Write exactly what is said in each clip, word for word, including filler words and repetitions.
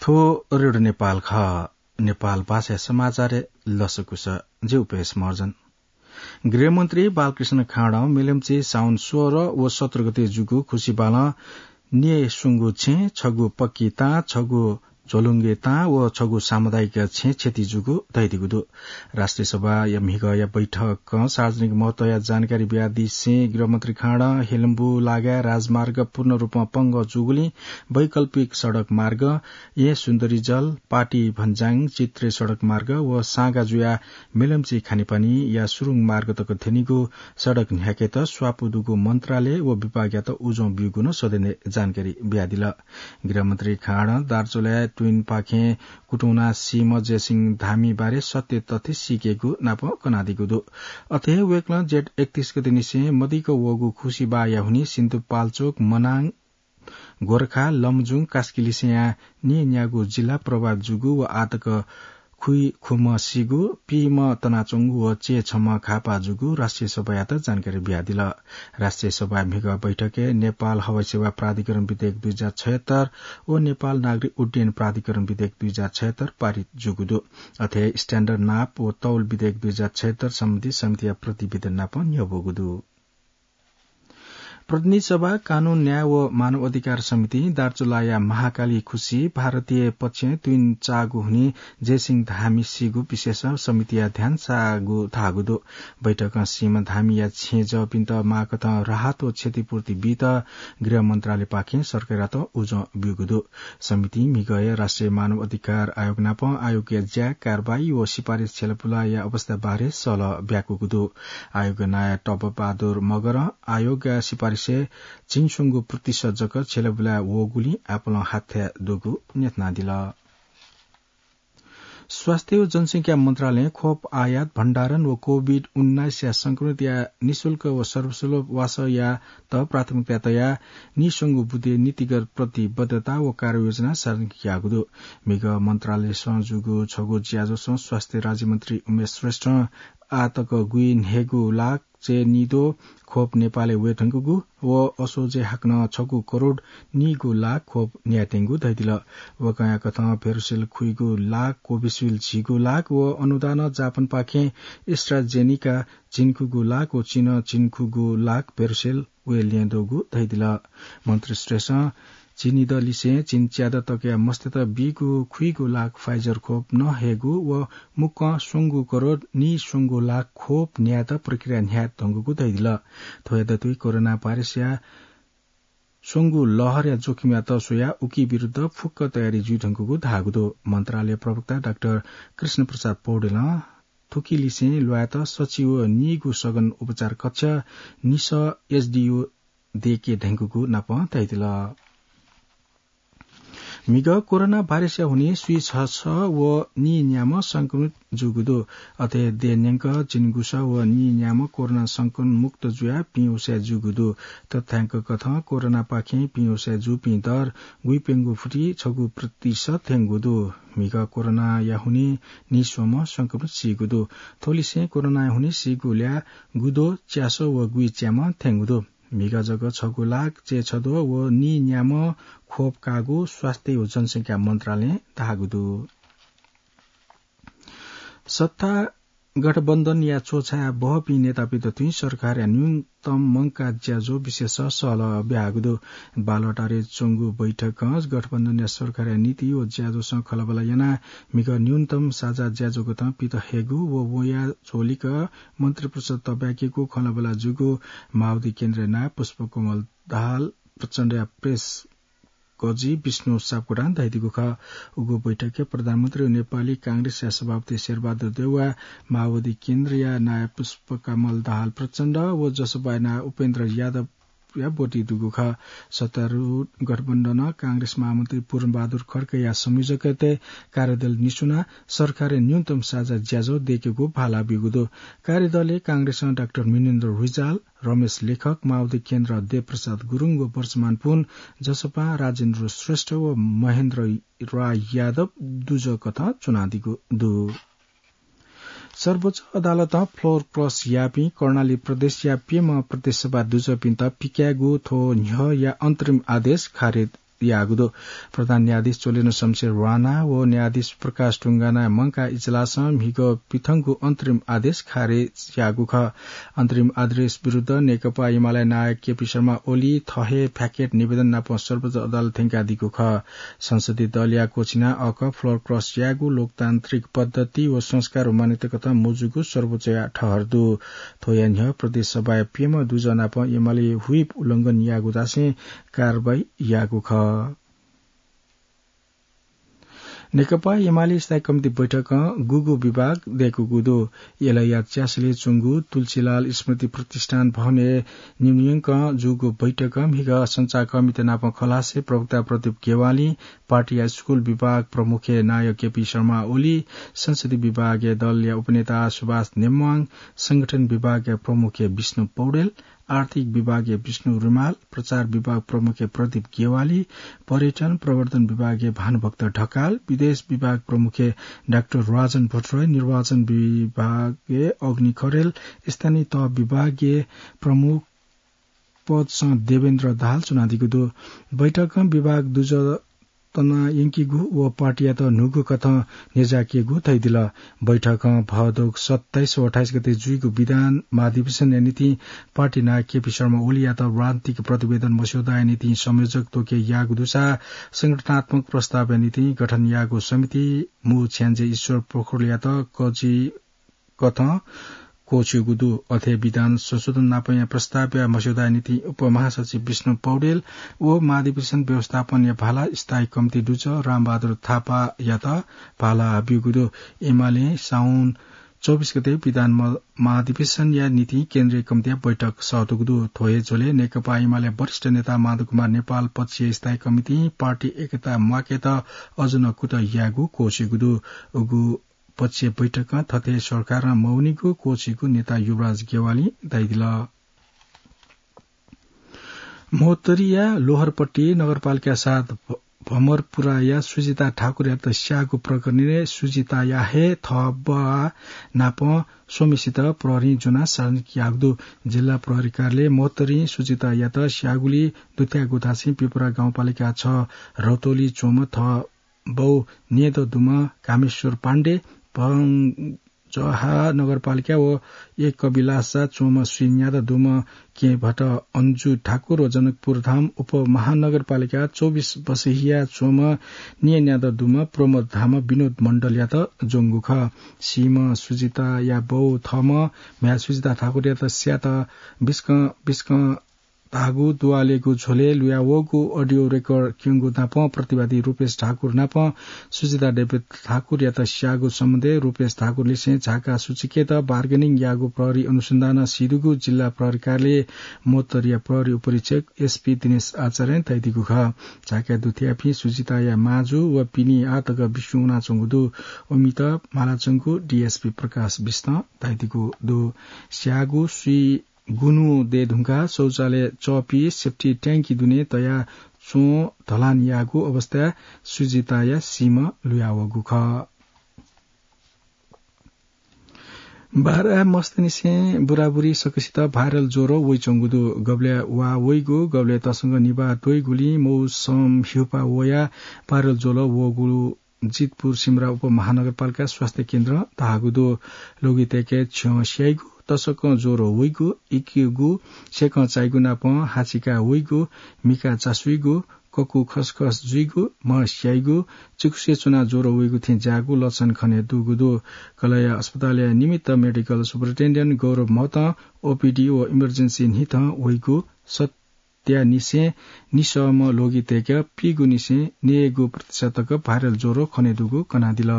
थ्व रेडियो नेपाल खः। नेपाल भाषा समाचारय् लसकुस। जि उपेश महर्जन। गृहमन्त्री बालकृष्ण खाँडं मेलम्ची साउन सोह्र व सत्र गते जूगु खुसिबालं निय् स्वंगु छेँ, छगू पक्की ताँ, छगू झोलुङ्गे ताँ व छगू सामुदायिक छेँ क्षति जूगु धयादीगु दु। राष्ट्रिय सभाया म्हिगःया बैठकं सार्वजनिक महत्वया जानकारी बियादिसें गृहमन्त्री खाँडं हेलम्बु लागाय् राजमार्ग पूर्ण रूपमा पंगः जूगुलिं वैकल्पिक सडक मार्ग, येँ सुन्दरीजल, पाटी भन्जाङ, चित्रे सडक मार्ग व साँगा जुयाः मेलम्ची खानेपानीया सुरुङ मार्ग तक थ्यनीगु सडक न्ह्याकेत स्वापू दुगु मन्त्रालय व विभागयात उजं ब्यूगु नं सदनय् जानकारी बियादिल। गृहमन्त्री खाँडं दार्चुलाया ट्विनपाखें कुतुंना सीम्ह जयसिंह धामी बारे सत्य तथ्य सीकेगु नाप कनादीगु दु। अथे हे वय्कलं जेठ एकतीस गते निसें मदिक्क वःगु खुसिबाःया हुनिं सिन्धुपाल्चोक, मनाङ, गोर्खा, लमजुङ, कास्कीलिसेंया न्येन्यागू जिल्ला प्रभावित जूगु व आःतक खुइ खुम्ह सीगु, पीम्ह तनाच्वंगु व चय्छम्ह घाःपाः जूगु राष्ट्रिय सभायात जानकारी बियादिल। राष्ट्रिय सभाया म्हिगः बैठकय् नेपाल हवाई सेवा प्राधिकरण विधेयक दुई हजार छयत्तर व नेपाल नागरिक उड्डयन प्राधिकरण विधेयक दुई हजार छयत्तर पारित जूगु दु। अथे standard नाप व तौल विधेयक दुई हजार छयत्तर सम्बन्धी समितिया प्रतिवेदन नाप न्ह्यब्वःगु दु। प्रतिनिधि सभा, कानून, न्याय व मानव अधिकार समितिं दार्चुलाया महाकाली खुसि भारतीय पक्षं तुइन चाःगु हुनिं जयसिंह धामी सीगु विषयस समितिया ध्यान साःगु धाःगु दु। बैठकं सीम्ह धामीया छेँजःपिन्त माःकथं राहत व क्षतिपूर्ति बीत गृह मन्त्रालयपाखें सरकारयात उजं ब्यूगु दु। समितिं म्हिगःया राष्ट्रिय मानव अधिकार आयोग नाप आयोगया ज्या, कारवाही व सिफारिस छ्यलाबुलाया अवस्था बारे सल्लाह ब्याकूगु दु। आयोगया नायः टप बहादुर मगरं आयोगया सिफारिसय् झिंस्वंगू प्रतिशत जक छ्यलाबुला वःगुलिं आपालं हाथ्याः दुगु न्ह्यथनादिल। स्वास्थ्य व जनसंख्या मन्त्रालयं खोप आयात, भण्डारण व कोभिड उन्नाइसया संक्रमितया निशुल्क व सर्वसुलभ वासःयात प्राथमिकता तयाः नीस्वंगू बुँदे नीतिगत प्रतिबद्धता व कार्ययोजना सार्वजनिक याःगु दु। म्हिगः मन्त्रालयसं जूगु छगू ज्याझ्वलय् स्वास्थ्य राज्यमन्त्री उमेश श्रेष्ठं आःतक गुइन्हय्गू लाख चय्निद्वः खोप नेपालय् वयेधुंकूगु व असोजय् हाकनं छगू करोड नीगू लाख खोप न्यायेधुंकूगु धयादिल। वय्कःया कथं भेरोसेल खुइगू लाख, कोभिसिल्ड झिगू लाख व अनुदानं जापानपाखें एस्ट्राजेनिका झिंखुगू लाख व चीनं झिंखुगू लाख भेरोसेल वये ल्यं दुगु धयादिल। मन्त्री श्रेष्ठं झिंनिदँलिसें झिंच्यादँ तकया मस्तय्त बीगु खुइगू लाख Pfizer खोप नं हयेगु व मुक्कं स्वंगू करोड नीस्वंगू लाख खोप न्यायेत प्रक्रिया न्ह्याये धुंकूगु धयादिल। थ्वया दथुइ कोरोना भाइरसया स्वंगू लहरया जोखिमयात स्वयाः उकी विरुद्ध फुक्क तयारी जुइधुंकूगु धाःगु दु। मन्त्रालय प्रवक्ता डाक्टर कृष्ण प्रसाद पौडेलं थुकिलिसें ल्वायेत सच्छि व नीगू सघन उपचार कक्ष, निसः एचडियू दयेके धुंकूगु नाप धयादिल। म्हिगः कोरोना भाइरसया हुनिं स्वीछसः व नीन्याम्ह संक्रमित जूगु दु। अथे देय् न्यंक झिंगुसः व नीन्याम्ह कोरोना संक्रमण मुक्त जुयाः पिंउसाय् जूगु दु। तथ्यांक कथं कोरोनापाखें पिंउसाय् जूपिं दर गुइप्यंगू फुति छगू प्रतिशत थ्यंगु दु। म्हिगः कोरोनाया हुनिं नीस्वम्ह संक्रमित सीगु दु। थ्वलिसें कोरोनाया हुनिं सीगु ल्याः गुद्वः च्यासः व गुइच्याम्ह थ्यंगु दु। म्हिगः जक छगू लाख चय्छद्वः व नीन्याम्ह खोप काःगु स्वास्थ्य व जनसंख्या मन्त्रालयं धाःगु दु। सत्ता गठबन्धनया च्वछाय् बहःपिं नेतापिन्त तुं सरकारया न्यूनतम मंकाः ज्याझ्वः विषयस सल्लाह ब्याःगु दु। बालुवाटारय् च्वंगु बैठकं गठबन्धनया सरकारया नीति व ज्याझ्वःसं खँल्हाबल्हा यानाः म्हिगः न्यूनतम साझा ज्याझ्वःकथं पित हयेगु व वया झ्वलिक मन्त्रिपरिषद तःब्याकेगु खँल्हाबल्हा जूगु माओवादी केन्द्रया नायः पुष्पकमल दाहाल प्रचण्डया प्रेस कजि विष्णु सापकोटां धयादीगु खः। उगु बैठकय् प्रधानमन्त्री व नेपाली कांग्रेसया सभापति शेरबहादुर देउवा, माओवादी केन्द्रया नायः पुष्पकमल दाहाल प्रचण्ड व जसपाया नायः उपेन्द्र यादवया ब्वति दुगु खः। सत्तारूढ गठबन्धनं कांग्रेस महामन्त्री पूर्णबहादुर खड्काया संयोजकत्वय् कार्यदल निस्वनाः सरकारया न्यूनतम साझा ज्याझ्वः दयेकेगु भाला ब्यूगु दु। कार्यदलय् कांग्रेसं डाक्टर मिनेन्द्र रिजाल, रमेश लेखक, माओवादी केन्द्र देवप्रसाद गुरुङ व वर्षमान पुन, जसपां राजेन्द्र श्रेष्ठ व महेन्द्र राय यादव दुजः कथं च्वनादीगु दु। सर्वोच्च अदालतं floor cross याःपिं कर्णाली प्रदेशया प्यम्ह प्रदेशसभा दुजःपिन्त पिकायेगु थ्व न्ह्यःया अन्तरिम आदेश खारेज याःगु दु। प्रधान न्यायाधीश चोलेन शमशेर राणा व न्यायाधीश प्रकाश टुङ्गाना मंकाः इजलासं म्हिगः पिथंगु अन्तरिम आदेश खारेज याःगु खः। अन्तरिम आदेश विरुद्ध नेकपा एमाले नायः केपी शर्मा ओली थः हे प्याकेट निवेदन नाप सर्वोच्च अदालत थ्यंकादीगु खः। संसदीय दलया क्वःछिना अःख floor cross यायेगु लोकतान्त्रिक पद्धति व संस्कार व मान्यता कथं मजूगु सर्वोच्चया ठहर दु। थ्वया न्ह्यः प्रदेश सभाया प्यम्ह दुजः नाप एमाले whip उल्लंघन याःगु धासें कारवाही याःगु खः। नेकपा एमाले स्थायी कमिटी बैठकं गुगु विभाग दय्‌कूगु दु। एलया च्यासलय् च्वंगु तुलसीलाल स्मृति प्रतिष्ठान भवनय् न्यंकं जूगु बैठकं म्हिगः सञ्चारकर्मीत नाप खलासे प्रवक्ता प्रदीप गेवाली, पार्टीया स्कूल विभाग प्रमुखय् नायः केपी शर्मा ओली, संसदीय विभागय् दलया उपनेता सुभाष नेम्वाङ, संगठन विभागय् प्रमुखय् विष्णु पौडेल, आर्थिक विभागय् विष्णु रिमाल, प्रचार विभाग प्रमुखय् प्रदीप गेवाली, पर्यटन प्रवर्धन विभागय् भानुभक्त ढकाल, विदेश विभाग प्रमुखय् डाक्टर राजन भट्टराई, निर्वाचन विभागय् अग्नि खरेल, स्थानीय तह विभागय् प्रमुख पदसं देवेन्द्र दाहाल च्वनादीगु दु। बैठकं विभाग दुजः तनायंकीगु व पार्टीयात न्हूगु कथं न्ह्यज्याकेगु धयादिल। बैठकं भदौ सत्ताइस व अट्ठाइस गते जुइगु विधान महाधिवेशनया निंतिं पार्टी नायः केपी शर्मा ओलीयात राजनीतिक प्रतिवेदन मस्यौदाया निंतिं संयोजक त्वके याःगु दुसा संगठनात्मक प्रस्तावया निंतिं गठन याःगु समिति मू छ्याञ्जे ईश्वर पोखरेलयात कजि कथं क्वःछिउगु दु। अथे विधान संशोधन नापया प्रस्तावया मस्यौदाया निंतिं उपमहासचिव विष्णु पौडेल व महाधिवेशन व्यवस्थापनया भाला स्थायी कमिटी दुजः रामबहादुर थापायात भाला ब्यूगु दु। एमाले साउन चौबिस गते विधान म-, महाधिवेशनया निंतिं केन्द्रीय कमिटीया बैठक सःतूगु दु। थ्व हे झ्वलय् नेकपा एमाले वरिष्ठ नेता माधव कुमार नेपाल पक्षया स्थायी कमिटीं पार्टी एकता म्वाकेत अझ नं कुतः यायेगु क्वःछिउगु दु। उगु पक्षीय बैठकं थथे सरकारं मवनीगु क्वःछिउगु नेता युवराज गेवालीं धयादिल। महोत्तरीया लोहरपट्टि नगरपालिका सात भ-, भमरपुराया सुजिता ठाकुरयात स्याःगु प्रकरणय् सुजिताया हे थः बाः नाप स्वम्हेसित प्रहरीं ज्वनाः सार्वजनिक याःगु दु। जिल्ला प्रहरी कार्यालय महोत्तरीं सुजितायात स्याःगुली दुथ्याःगु धासें पिपरा गाउँपालिका छ रौतली च्वंम्ह थः बौ न्येदँ दुम्ह कामेश्वर पाण्डे, भंजहा नगरपालिका व एक कविलासा च्वंम्ह स्वीन्यादँ दुम्ह केहेँभट्ट अन्जु ठाकुर व जनकपुरधाम उपमहानगरपालिका चौबिस बसहिया च्वंम्ह न्येन्यादँ दुम्ह प्रमोद धाम विनोद मण्डलयात ज्वंगु खः। सीम्ह सुजिताया बौ थःम्ह म्ह्याय् सुजिता ठाकुरयात स्यात बिस्कं बिस्कं धाःगु दुवालेगु झ्वलय् लुयावःगु audio record क्यंगु नापं प्रतिवादी रूपेश ठाकुर नापं सुजिता देवी ठाकुरयात स्याःगु सम्बन्धय् रूपेश ठाकुरलिसें झाका सूचकयात bargaining याःगु प्रहरी अनुसन्धानं सीदुगु जिल्ला प्रहरी कार्यालय महोत्तरीया प्रहरी उपरीक्षक एसपी दिनेश आचार्यं धयादीगु खः। झाकाय् दुथ्याःपिं सुजिताया माजु व पिने आः तक बिस्युं वनाच्वंगु दु। उमित मालाच्वंगु डीएसपी प्रकाश बिष्टं धयादीगु दु। स्याःगु सुइ गुन्हु दये धुंकाः शौचालय चःपी सेप्टिक ट्याङ्की दुने तया च्वं धलान याःगु अवस्थाय् सुजिताया सीम्ह लुयावःगु खः। बारा मस्तनिसें बुराबुरी सकसित viral ज्वरो वइच्वंगु दु। गबलय् वा वइगु, गबलय् तसकं निभाः त्वइगुलिं मौसम ह्यूपाः वयाः viral ज्वरो वःगु जितपुर सिमरा उपमहानगरपालिका स्वास्थ्य केन्द्रं धाःगु दु। लोगि तय्के छ्यं स्याइगु, तसकं ज्वरो वइगु, इकिगु, सेकं चाइगु नापं हाचिका वइगु, मिखा चासुइगु, ककु खसखस जुइगु, म्ह स्याइगु, चिकुसे च्वनाः ज्वरो वइगु थें ज्याःगु लक्षण खने दुगु दु। कलया अस्पतालया निमित्त medical superintendent गौरव महतं ओपीडी व emergency न्हिथं वइगु सत त्यानिसें निसःम्ह लोगि तय्के पीगुनिसें नयेगु प्रतिशत तक viral ज्वरो खने दुगु कनादिल।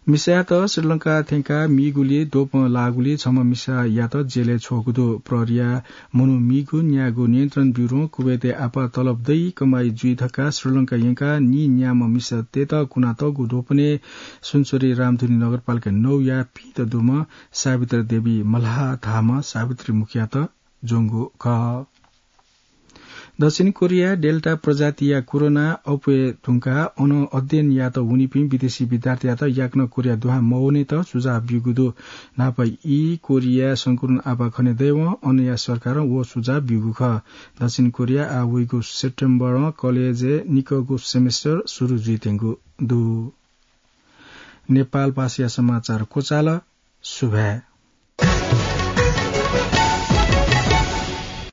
मिसायात श्रीलंका थ्यंकाः मीगुलिइ द्वपं लाःगुलिइ छम्ह मिसायात जेलय् छ्वःगु दु। प्रहरीया मनू मीगु न्यायेगु नियन्त्रण ब्युरों कुवेतय् आपाः तलब दइ कमाइ जुइ धकाः श्रीलंका यंकाः नीन्याम्ह मिसातय्त कुनातःगु द्वपनय् सुनसरी रामधुनी नगरपालिका नौया पीत दुम्ह सावित्री देवी मल्हाः धाःम्ह सावित्री मुखियात ज्वंगु खः। दक्षिण कोरिया डेल्टा प्रजातिया कोरोना अप्वये धुंकाः अन अध्ययन यात वनीपिं विदेशी विद्यार्थीयात याकनं कोरिया दुहां मवनेत सुझाव ब्यूगु दु। न्हापा ई कोरिया संक्रमण आपाः खने दयेवं अनया सरकारं व सुझाव ब्यूगु खः। दक्षिण कोरिया आः वइगु सेप्टेम्बरं कलेजय् निकःगु सेमेस्टर सुरु जुइत्यंगु दु। नेपाल भाषाया समाचार क्वचाल। सुभाय्।